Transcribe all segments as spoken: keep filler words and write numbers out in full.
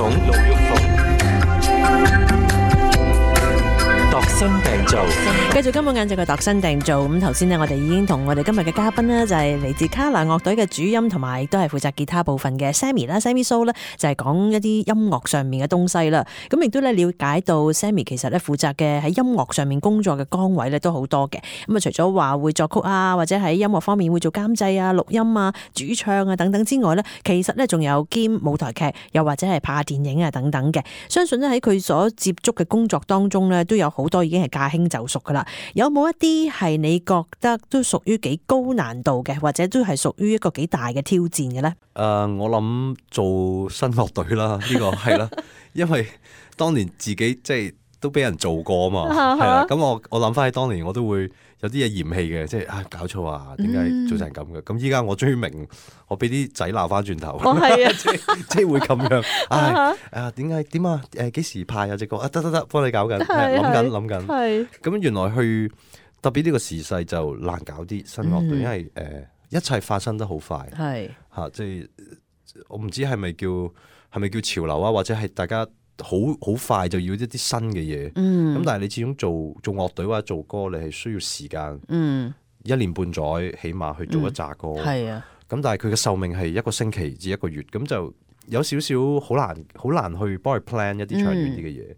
鳳，陸玉鳳，度身訂造。繼續今日晏晝嘅度身訂造。咁頭先呢，我哋已經同我哋今日嘅嘉賓呢，就係嚟自卡拿樂隊嘅主音同埋都係負責吉他部分嘅 Sammy 啦 ，Sammy So 咧就係講一啲音樂上面嘅東西啦。咁亦都咧了解到 Sammy 其實咧負責嘅喺音樂上面工作嘅崗位咧都好多嘅。咁啊，除咗話會作曲啊，或者喺音樂方面會做監製啊、錄音啊、主唱啊等等之外咧，其實咧仲有兼舞台劇，又或者係拍電影啊等等嘅。相信咧喺佢所接觸嘅工作當中咧，都有好多已經係駕輕就熟噶啦。有冇一啲係你覺得都屬於幾高難度嘅，或者都係屬於一個幾大嘅挑戰嘅咧？誒、uh, 我諗做新樂隊啦，呢、這個係啦，因為當年自己即係都俾人做過啊嘛，係啦。咁我我諗翻起當年，我都會有啲嘢嫌棄嘅，即係啊搞錯啊，點解做成咁嘅？咁依家我終於明，我俾啲仔鬧翻轉頭，哦係啊，即係即係會咁樣。唉誒點解點啊？誒幾時派啊隻歌啊？得得得，幫你搞緊，諗緊諗緊。係咁原來去特別呢個時勢就難搞啲新樂隊，因為誒。一切發生得好快，係嚇、啊，即係我唔知係咪叫係咪叫潮流啊，或者係大家好好快就要一啲新嘅嘢。咁、嗯、但係你始終做做樂隊或者做歌，你係需要時間，嗯、一年半載起碼去做一紮歌。係、嗯、啊，咁但係佢嘅壽命係一個星期至一個月，咁就有少少好難好難去幫佢 plan 一啲長遠啲嘅嘢。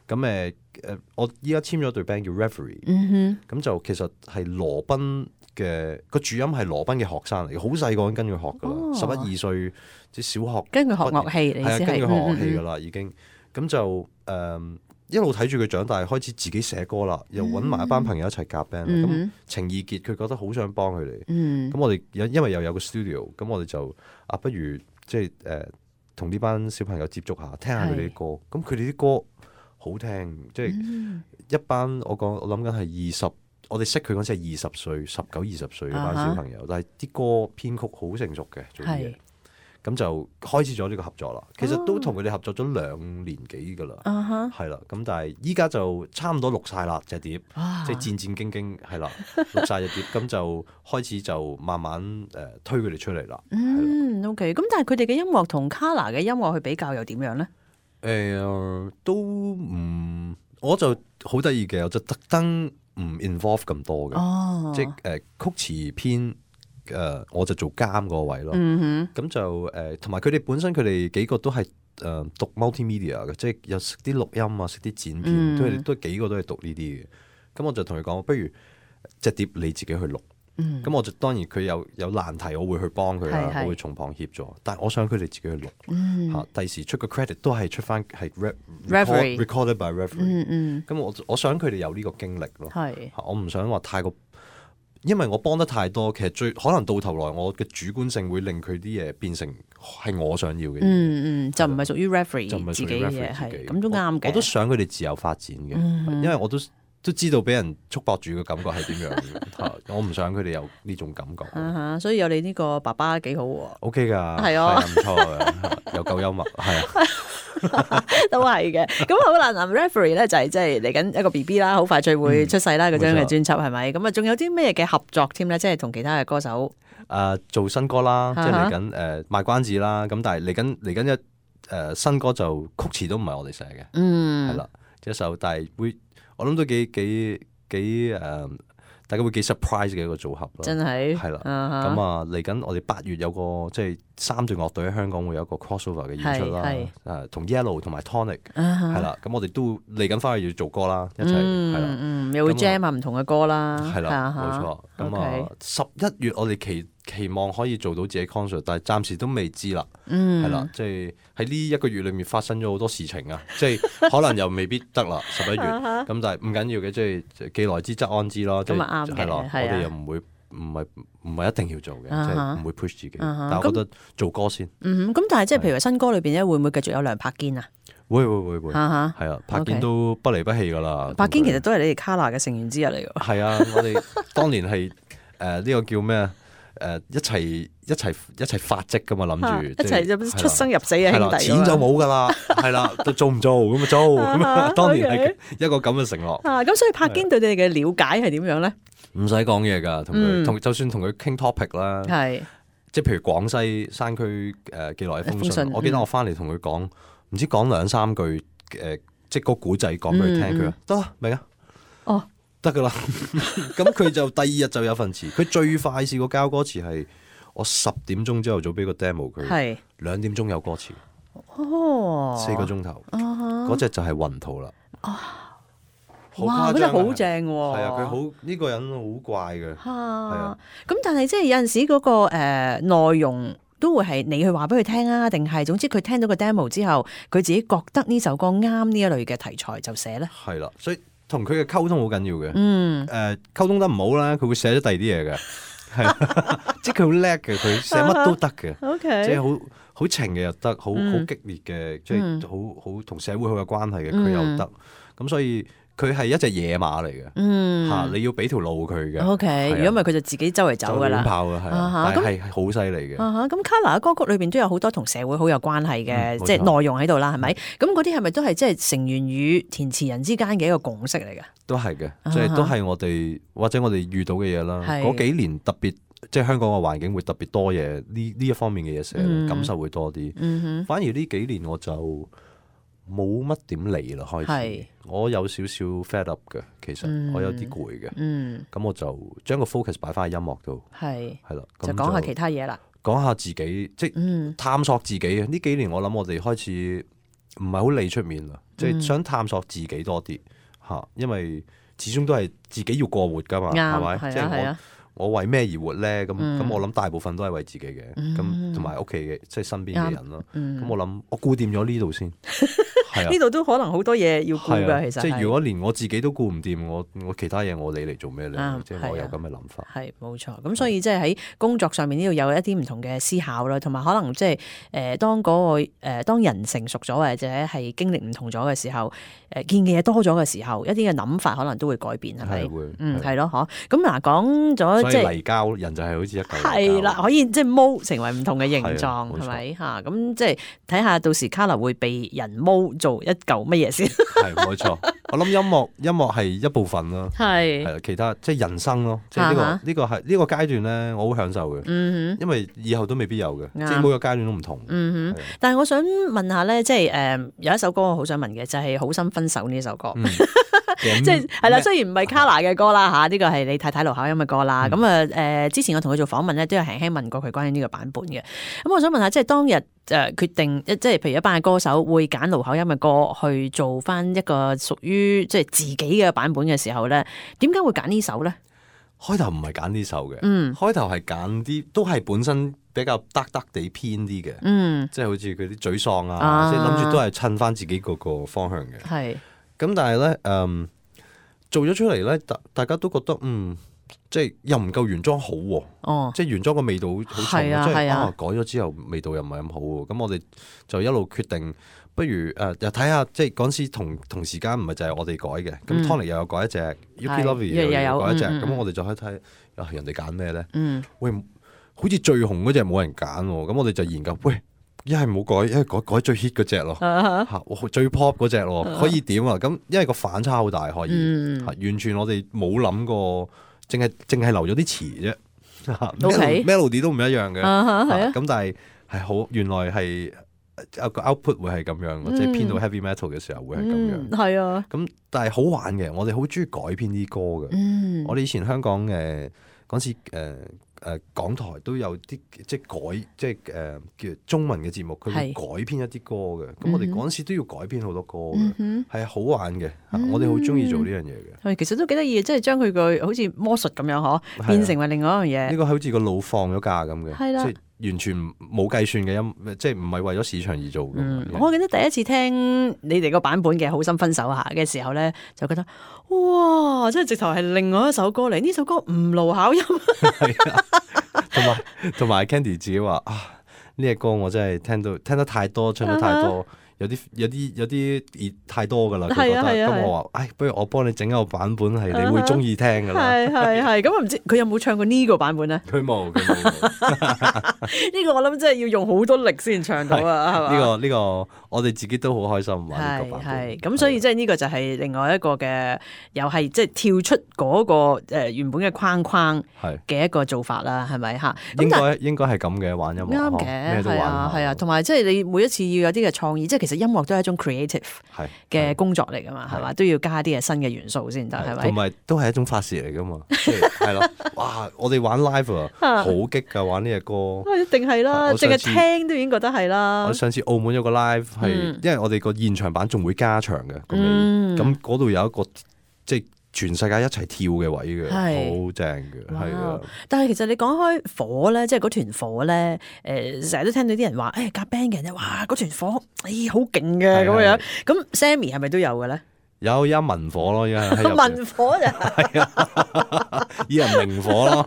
咁誒誒，我依家簽咗隊 band 叫 Reverie，咁、嗯、就其實係羅賓嘅個主音係羅賓嘅學生嚟嘅，好細個跟佢學噶啦，十一二歲即係小學跟佢學樂器，係啊，跟佢學樂器噶啦已經。咁就誒、呃、一路睇住佢長大，開始自己寫歌啦，又揾埋一班朋友一齊夾 band。咁、嗯、情意結，佢覺得好想幫佢哋。咁、嗯、我哋因為又有個 studio，咁我哋就啊，不如即係誒同呢班小朋友接觸下，聽下佢哋啲歌。咁佢哋啲歌好聽，即係、嗯、一班我講我諗緊係二十，我哋識佢嗰陣係二十歲、十九、二十歲嘅班小朋友，uh-huh. 但係啲歌編曲好成熟嘅，做啲嘢，咁就開始咗呢個合作啦。其實都同佢哋合作咗兩年幾噶啦，係、uh-huh. 啦。咁但係依家就差唔多錄晒啦隻碟，即、uh-huh. 係戰戰兢兢係啦，錄晒隻碟，咁就開始就慢慢誒、呃、推佢哋出嚟啦。嗯 ，OK。咁但係佢哋嘅音樂同 Kolor 嘅音樂去比較又點樣咧？誒、呃，都唔，我就好得意嘅，我就特登唔 involve 咁多嘅、哦，即係誒、呃、曲詞編誒、呃，我就做監嗰個位咯。咁、嗯、就誒，同埋佢哋本身佢哋幾個都係誒、呃、讀 multimedia 嘅，即係有識啲錄音啊，識啲剪片，佢、嗯、哋都幾個都係讀呢啲嘅。咁我就同佢講，不如隻碟你自己去錄。咁、嗯、我就當然佢有有難題，我會去幫佢啦，我會從旁協助。但係我想佢哋自己去錄嚇，第、嗯、時出個 credit 都係出翻係 record recorded by Reverie。咁、嗯嗯、我我想佢哋有呢個經歷咯。我唔想話太過，因為我幫得太多，其實最可能到頭來我嘅主觀性會令佢啲嘢變成係我想要嘅。嗯嗯，就唔係屬於 Reverie 就唔係屬於 Reverie 自己。咁都啱嘅。我都想佢哋自由發展嘅、嗯，因為我都。都知道俾人束縛住嘅感覺係點樣嘅，我唔想佢哋有呢種感覺。Uh-huh, 所以有你呢個爸爸幾好喎。O K 㗎，係啊，唔錯嘅，又夠幽默，係啊，都係嘅。咁好啦，嗱 Reverie 咧就係即係嚟緊一個 B B 啦，好快就會出世啦，嗰張嘅專輯係咪？咁啊，仲有啲咩嘅合作添咧？即係同其他嘅歌手。誒、呃，做新歌啦， uh-huh. 即係嚟緊誒賣關子啦。咁但係嚟緊嚟緊一誒、呃、新歌就曲詞都唔係我哋寫嘅，嗯，係啦，一首但係會。我諗都幾幾幾誒、呃，大家會幾 surprise 嘅一個組合咯，真係係啦。咁啊嚟緊，我哋八月有個即係三隊樂隊喺香港會有一個 crossover 嘅演出啦，誒同 Yellow 同埋 Tonic 係啦。咁我哋都嚟緊翻去要做歌啦，一齊係啦，嗯，又會 jam 下唔同嘅歌啦，係啦，冇錯。咁啊十一月我哋期期望可以做到自己 concert， 但係暫時都未知啦，係、嗯、啦，即係喺呢一個月裏面發生咗好多事情啊，即係可能又未必得啦，十一月咁，但係唔緊要嘅，即係既來之則安之咯，咁啊啱嘅，係咯，我哋又唔會唔係唔係一定要做嘅，即係唔會 push 自己，但係我覺得做歌先。嗯，咁但係即係譬如新歌裏邊咧，會唔會繼續有梁栢堅啊？會會會會，係啊，栢堅都不離不棄噶啦。栢堅其實都係你哋 Kolor 嘅成員之一嚟㗎。係啊，我哋當年係誒呢個叫咩啊？誒、呃、一齊一齊一齊發跡噶嘛，諗住一齊就出生入死嘅兄弟，錢就冇噶啦，係啦，做唔做咁啊做咁啊，當年係一個咁嘅承諾。啊，咁所以栢堅對你哋嘅了解係點樣咧？唔使講嘢噶，同佢同就算同佢傾 topic 啦，係即係譬如廣西山區誒寄來嘅風信，我記得我翻嚟同佢講。唔知講兩三句誒、呃，即係個古仔講俾佢聽，佢話得啦，明啊，哦，得噶啦。咁佢就第二日就有份詞，佢最快試過交歌詞係我十點鐘朝頭早俾個 demo 佢，係兩點鐘有歌詞，哦，四個鐘頭，嗰隻就係雲圖啦。哇！嗰隻好正喎，係啊，佢好呢個人好怪嘅，係啊。咁但係即係有陣時嗰、那個誒、呃、內容都會係你去話俾佢聽啊，定係總之佢聽到個 demo 之後，佢自己覺得呢首歌啱呢一類嘅題材就寫咧。係啦，所以同佢嘅溝通好緊要嘅。嗯，誒、呃、溝通得唔好啦，佢會寫咗第二啲嘢嘅，係即係佢好叻嘅，佢寫乜都得嘅。O K， 即係好好情嘅又得，好好、嗯、激烈嘅，即係好好同社會好有關係嘅，佢又得。咁、嗯、所以。佢係一隻野馬嚟嘅，嚇、嗯啊、你要俾條路佢嘅。O K， 如果唔係佢就自己周圍走噶啦。就亂跑嘅係，但係係好犀利嘅。咁 Kolor 嘅歌曲裏邊都有好多同社會好有關係嘅，嗯、即係內容喺度啦，係咪？咁嗰啲係咪都係即係成員與填詞人之間嘅一個共識嚟嘅？都係嘅，即係都係我哋或者我哋遇到嘅嘢啦。嗰幾年特別即係香港嘅環境會特別多嘢，呢呢一方面嘅嘢寫，嗯、感受會多啲。嗯、反而呢幾年我就冇乜點嚟啦，開始我有少少 fed up 嘅，其實、嗯、我有啲攰嘅，咁、嗯、我就將個 focus 擺翻喺音樂度，係係啦，就講下其他嘢啦，講下自己，即係、嗯、探索自己啊！呢幾年我諗我哋開始唔係好理出面啦，即係、嗯、想探索自己多啲嚇，因為始終都係自己要過活噶嘛，係咪？即係我。我為咩而活咧？咁咁、嗯、我諗大部分都係為自己嘅，咁同埋屋企嘅，即係身邊嘅人咯。咁、嗯、我諗我顧掂咗呢度先，係啊，呢度都可能好多嘢要顧噶。其實即係如果連我自己都顧唔掂，我我其他嘢我理嚟做咩咧？即係、嗯、我有咁嘅諗法。係冇錯。咁所以即係喺工作上面呢度有一啲唔同嘅思考啦，同埋可能即係誒當嗰、嗰個誒、呃、當人成熟咗或者係經歷唔同咗嘅時候，誒、呃、見嘅嘢多咗嘅時候，一啲嘅諗法可能都會改變，係咪？係會。嗯，係咯，嗬。咁嗱，講咗。即係泥膠人就係好似一嚿係啦，可以即係模成為唔同嘅形狀，係咪嚇？咁即係睇下到時 Kolor 會被人模做一嚿乜嘢先？係冇錯，我諗音樂音樂係一部分咯，係係其他即係人生咯，即係呢個呢個係呢個階段咧，我好享受嘅，嗯哼，因為以後都未必有嘅，即係每個階段都唔同。嗯哼，但係我想問下咧，即係誒有一首歌我好想問嘅，就係《好心分手》呢首歌。即係係啦，雖然唔係 Kolor 嘅歌啦嚇，呢個係你太太盧巧音嘅歌啦。咁啊誒，之前我同佢做訪問咧，都有輕輕問過佢關於呢個版本嘅。咁我想問下，即係當日誒決定，即係譬如一班嘅歌手會揀盧巧音嘅歌去做翻一個屬於即係自己嘅版本嘅時候咧，點解會揀呢首咧？開頭唔係揀呢首嘅，嗯，開頭係揀啲都係本身比較得得地偏啲嘅，嗯，即係好似佢啲沮喪啊，即係諗住都係襯翻自己嗰個方向嘅，係。咁但係咧，誒、嗯、做咗出嚟咧，大大家都覺得嗯，即係又唔夠原裝好喎、啊，哦、即係原裝個味道好重，啊、即係啊，啊改咗之後味道又唔係咁好喎。咁我哋就一路決定，不如誒、呃、又睇下，即係嗰陣時同同時間唔係就係我哋改嘅，咁、嗯、Tony 又有改一隻，Yuki Lovey 又有改一隻，咁、嗯、我哋就可以睇啊人哋揀咩咧？嗯、喂，好似最紅嗰隻冇人揀喎，咁我哋就研究喂。一係冇改，一係改改最 hit 嗰隻咯，嚇、uh-huh. 最 pop 嗰隻咯，可以點啊？咁因為個反差好大，可以、嗯、完全我哋冇諗過，淨係淨係留咗啲詞啫，Okay. melody 都唔一樣嘅，咁、uh-huh. 但係係好原來係個 output 會係咁樣，嗯、即係編到 heavy metal 嘅時候會係咁樣，係、嗯、啊。咁但係好玩嘅，我哋好中意改編啲歌嘅，嗯、我哋以前香港嘅嗰陣時誒。呃誒、呃、港台都有啲即係改即係誒、呃、叫中文嘅節目，佢會改編一啲歌嘅。咁、嗯、我哋嗰陣時都要改編好多歌嘅，係、嗯、哼好玩嘅。嗯、我哋好中意做呢樣嘢嘅。係其實都幾得意，即係將佢個好似魔術咁樣嗬，變成為另外一樣嘢。呢、呢個好似個腦放咗假咁嘅，即係完全冇計算嘅音，即係唔係為咗市場而做嘅、嗯。我記得第一次聽你哋個版本嘅《好心分手》下嘅時候咧，就覺得哇！即係直頭係另外一首歌嚟。呢首歌唔盧巧音。同埋同埋 Candy 自己話啊，呢隻歌我真係聽到聽得太多，唱得太多。Uh-huh. 有啲有啲有啲熱太多噶啦，佢覺得咁我話，唉，不如我幫你整一個版本係你會中意聽噶啦。係係係，咁我唔知佢有冇唱過呢個版本咧？佢冇，佢冇。呢個我諗真係要用好多力先唱到啊，係嘛？呢個呢個我哋自己都好開心玩呢個版本。係係，咁所以即係呢個就係另外一個嘅，又係即係跳出嗰個誒原本嘅框框嘅一個做法啦，係咪嚇？應該應該係咁嘅玩音樂，啱嘅，係啊係啊，同埋即係你每一次要有啲嘅創意，即係其實。實音樂都係一種 creative 嘅工作嚟噶嘛，係嘛？都要加啲嘅新嘅元素先得，係咪？同埋都係一種發泄嚟噶嘛，即係係咯。哇！我哋玩 live 啊，好激㗎，玩呢隻歌。一定係啦，淨係聽都已經覺得係啦。我上次澳門有個 live 係，因為我哋個現場版仲會加長嘅個尾，咁嗰度有一個即係全世界一齊跳嘅位嘅，好正嘅，係啊！但係其實你講開火咧，即係嗰團火咧，誒成日都聽到啲人話，誒夾 band 嘅人咧，哇嗰團火，誒好勁嘅咁樣。咁 Sammy 係咪都有嘅咧？有一文火咯，依家喺入邊。文火就係啊，以前明火咯，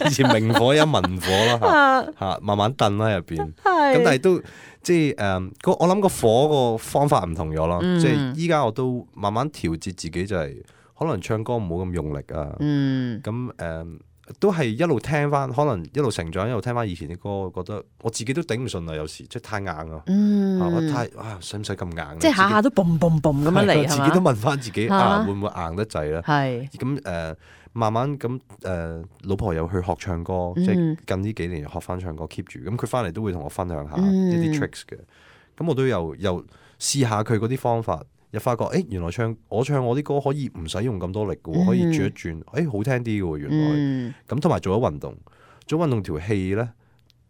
以前明火一文火咯嚇嚇，慢慢燉喺入邊。咁但係都即係誒，我諗個火個方法唔同咗咯。即係依家我都慢慢調節自己，就係可能唱歌唔好咁用力啊。咁誒都係一路聽翻，可能一路成長，一路聽翻以前啲歌，覺得我自己都頂唔順啊！有時即係太硬啊，我太啊，使唔使咁硬？即係下下都嘣嘣嘣咁樣嚟，自己都問翻自己啊，會唔會硬得滯咧？係咁誒，慢慢咁誒，老婆又去學唱歌，即係近呢幾年學翻唱歌 keep 住。咁佢翻嚟都會同我分享下一啲 tricks 嘅。咁我都有又試下佢嗰啲方法。又發覺，誒原來唱我唱我啲歌可以唔使用咁多力嘅喎，可以轉一轉，誒好聽啲嘅喎，原來。咁同埋做咗運動，做運動條氣咧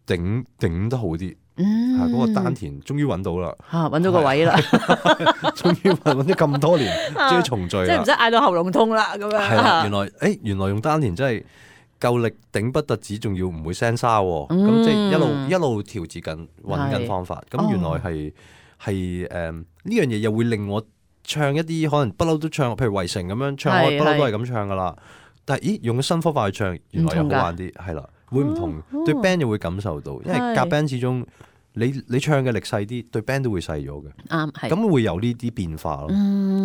頂頂得好啲，嚇嗰個丹田終於揾到啦，嚇揾到個位啦，終於揾揾咗咁多年，終於重聚啦，即係唔使嗌到喉嚨痛啦咁樣。係啦，原來誒原來用丹田真係夠力頂不特止，仲要唔會聲沙喎，咁即係一路一路調節緊揾緊方法，咁原來係。係誒呢樣嘢又會令我唱一啲可能不嬲都唱，譬如圍城咁樣唱，我不嬲都係咁唱噶啦。但係咦，用個新方法去唱，原來又好玩啲，係啦，會唔同對 band 又會感受到，因為夾 band 始終你你唱嘅力細啲，對 band 都會細咗嘅。啱，係咁會有呢啲變化咯。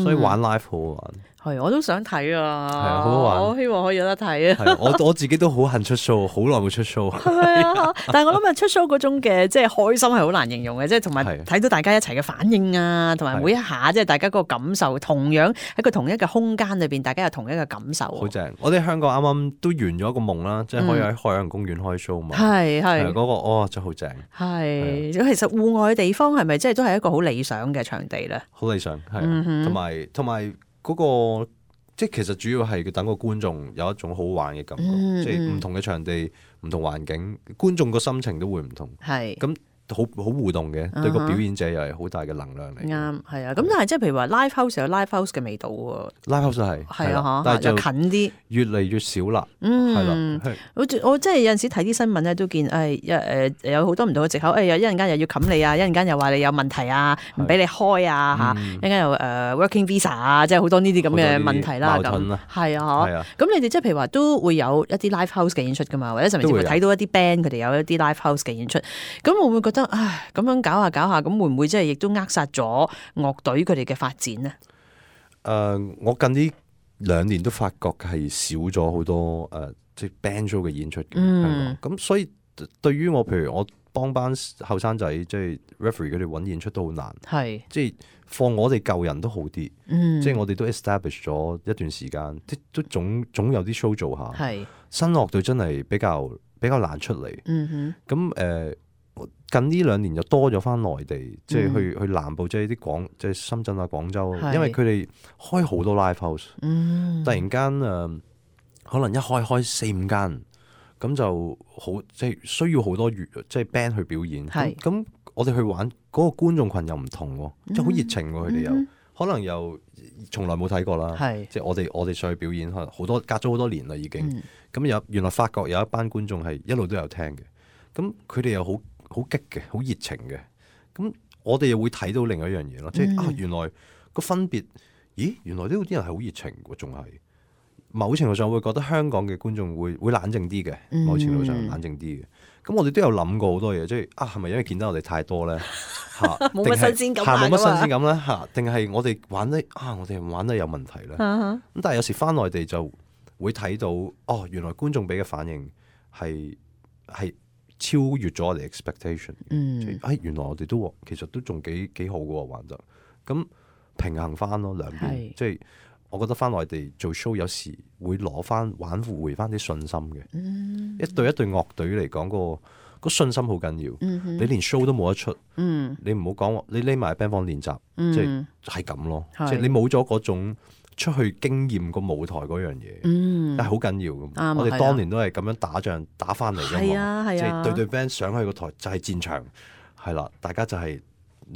所以玩 live 好好玩。係，我都想睇啊！係啊，好好玩。我希望可以有得睇啊！係，我我自己都好恨出 show， 好耐冇出 show。係啊，但係我諗啊，出 show 嗰種嘅即係開心係好難形容嘅，即係同埋睇到大家一齊嘅反應啊，同埋每一下即係大家嗰個感受，同樣喺個同一個空間裏邊，大家有同一個感受。好正！我哋香港啱啱都圓咗一個夢啦，即係可以喺海洋公園開 show 嘛。係係嗰個哦，真係好正。係，其實戶外嘅地方係咪即係都係一個好理想嘅場地咧？好理想係，同埋同埋嗰個。即係其實主要係等個觀眾有一種好玩嘅感覺，嗯、即係唔同嘅場地、唔同環境，觀眾個心情都會唔同。係咁。好好互動嘅，對個表演者又係好大嘅能量嚟。啱，係啊。咁但係即係譬如話 live house 有 live house 嘅味道喎。live house 係係啊，但係就近啲，越嚟越少啦。嗯，係啦。我我即係有陣時睇啲新聞咧，都見誒一誒有好多唔同嘅藉口。誒有一陣間又要冚你啊，一陣間又話你有問題啊，唔俾你開啊嚇。一陣間又誒 working visa 啊，即係好多呢啲咁嘅問題啦。咁係啊，係啊。咁你哋即係譬如話都會有一啲 live house 嘅演出㗎嘛，或者甚至乎睇到一啲 band 佢哋有一啲 live house 嘅演出，咁會唔會覺得？唉，咁樣搞下搞下，咁會唔會即係亦都扼殺咗樂隊佢哋嘅發展呢？誒、呃，我近呢兩年都發覺係少咗好多誒、呃，即係 band show 嘅演出嘅。嗯，咁所以對於我，譬如我幫班後生仔，即係 referee 佢哋揾演出都好難。係是，即係放我哋舊人都好啲。嗯、即係我哋都 establish 咗一段時間，即都總總有啲 show 做下。係是，新樂隊真係比較比較難出嚟。嗯哼，咁誒。呃近呢兩年就多咗翻內地，即係去、嗯、去南部，即係啲廣，即係深圳啊、廣州，是因為佢哋開好多 live house，嗯、突然間誒、呃，可能一開開四五間，咁就好，即係需要好多樂，即係 band 去表演。咁是我哋去玩嗰、嗰個觀眾群又唔同，即係好熱情喎，佢哋又可能又從來冇睇過啦。是即係我哋我哋上去表演，可能好多隔咗好多年啦已經。咁、嗯、有原來發覺有一班觀眾係一路都有聽嘅，咁佢哋又好。好激嘅，好熱情嘅，咁我哋又會睇到另一樣嘢咯，即係、嗯、啊，原來個分別，咦，原來呢度啲人係好熱情嘅，仲係某程度上會覺得香港嘅觀眾會會冷靜啲嘅，嗯、某程度上冷靜啲嘅。咁我哋都有諗過好多嘢，即係啊，係咪因為見得我哋太多咧？嚇，冇乜新鮮感，冇乜新鮮感咧嚇，定係我哋玩得啊？我哋玩得有問題咧？咁、啊、但係有時翻內地就會睇到，哦，原來觀眾俾嘅反應係係。超越咗我哋 expectation，嗯，哎，原來我哋都其實都仲幾幾好嘅喎，玩得咁平衡翻咯兩邊，是即係我覺得翻內地做 show 有時會攞翻挽回翻啲信心嘅，嗯、一隊一隊樂隊嚟講、嗰個信心好緊要。嗯哼你連 show 都冇得出，嗯你唔好講你匿埋 band 房練習，嗯即係係咁咯。係即係你冇咗嗰種出去經驗個舞台嗰樣嘢，嗯但係好緊要噶。啱我哋係啊當年都係咁樣打仗打翻嚟噶係嘛，啊係啊即係對對 band 上去個台就係戰場，係啦，大家就係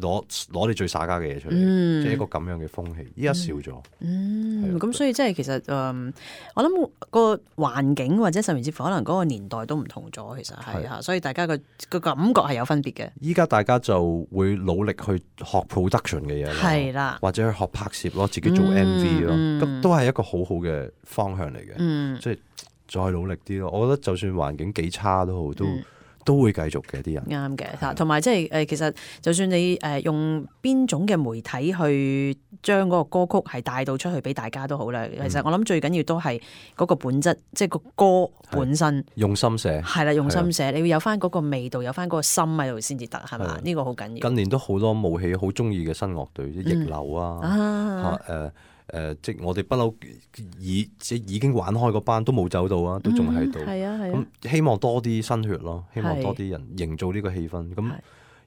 攞攞你最耍家嘅嘢出嚟，嗯即係一個咁樣嘅風氣。依家少咗，嗯，係啊咁所以即係其實誒、嗯我諗個環境或者甚至乎可能嗰個年代都唔同咗，其實係嚇，所以大家個個感覺係有分別嘅。依家大家就會努力去學 production 嘅嘢啦，係啦或者去學拍攝咯，自己做 M V 咯，嗯咁都係一個好好嘅方向嚟嘅。嗯即係再努力啲咯。我覺得就算環境幾差都好，都嗯都會繼續嘅啲人。啱嘅嚇，同埋即係誒，其實就算你誒用邊種嘅媒體去將嗰個歌曲係帶到出去俾大家都好啦。其實我諗最緊要都係嗰個本質，即係個歌本身用心寫。係啦，用心寫，你要有翻嗰個味道，有翻嗰個心喺度先至得，係嘛？呢個好緊要。近年都好多武器好中意嘅新樂隊，即係逆流啊，啊嚇誒誒，即係我哋不嬲已即係已經玩開嗰班都冇走到啊，都仲喺度。係啊係啊，咁希望多啲新血咯，希望係多啲人營造呢個氣氛，咁係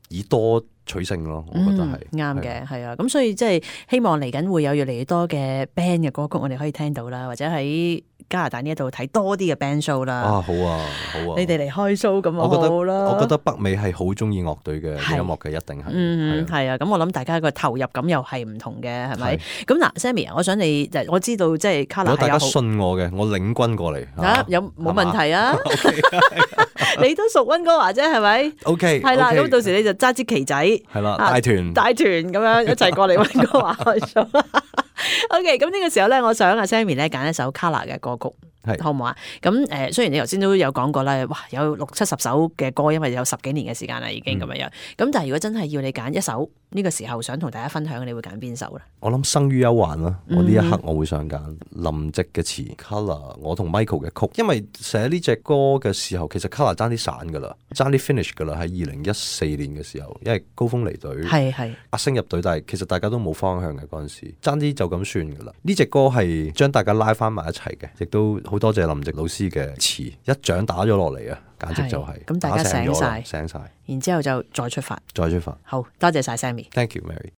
以多取勝咯，我覺得係嗯啱嘅，係啊。咁所以即係希望嚟緊會有越嚟越多嘅 band 嘅歌曲，我哋可以聽到啦，或者喺加拿大呢一度睇多啲嘅 band show 啦。啊，好啊，好啊！你哋嚟開 show 咁我覺得好啦。我覺得北美係好中意樂隊嘅係音樂嘅，一定係。嗯，係啊係啊，咁我諗大家個投入感又係唔同嘅，係咪係？咁嗱，Sammy，我想你，我知道即係 Kolor 如果大家係有好信我嘅，我領軍過嚟啊，有冇問題啊？你都屬温哥華啫，係咪？ ？O K，係啦，咁到時你就揸支旗仔，係啦，啊帶團帶團咁樣一齊過嚟温哥華開 show。OK，咁呢個時候咧，我想阿 Sammy 咧揀一首 Kolor 嘅歌曲。係好唔好啊？咁誒、呃，雖然你頭先都有講過啦，哇，有六七十首嘅歌，因為有十幾年嘅時間啦，已經咁樣樣。咁、嗯、但係如果真係要你揀一首呢、這個時候想同大家分享，你會揀邊首咧？我諗生於憂患啦，嗯我呢一刻我會想揀林夕嘅詞 Kolor，我同 Michael 嘅曲，因為寫呢隻歌嘅時候，其實 Kolor 爭啲散噶啦，爭啲 finish 噶啦，喺二零一四年嘅時候，因為高峰離隊，係係阿星入隊，但係其實大家都冇方向嘅嗰陣時，爭啲就咁算噶啦。呢隻歌係將大家拉翻埋一齊嘅，亦都好多謝林夕老師嘅詞，一掌打咗落嚟啊，簡直就係、是、咁大家醒晒，醒晒，然之後就再出發，再出發。好多謝晒 Sammy。Thank you, Mary。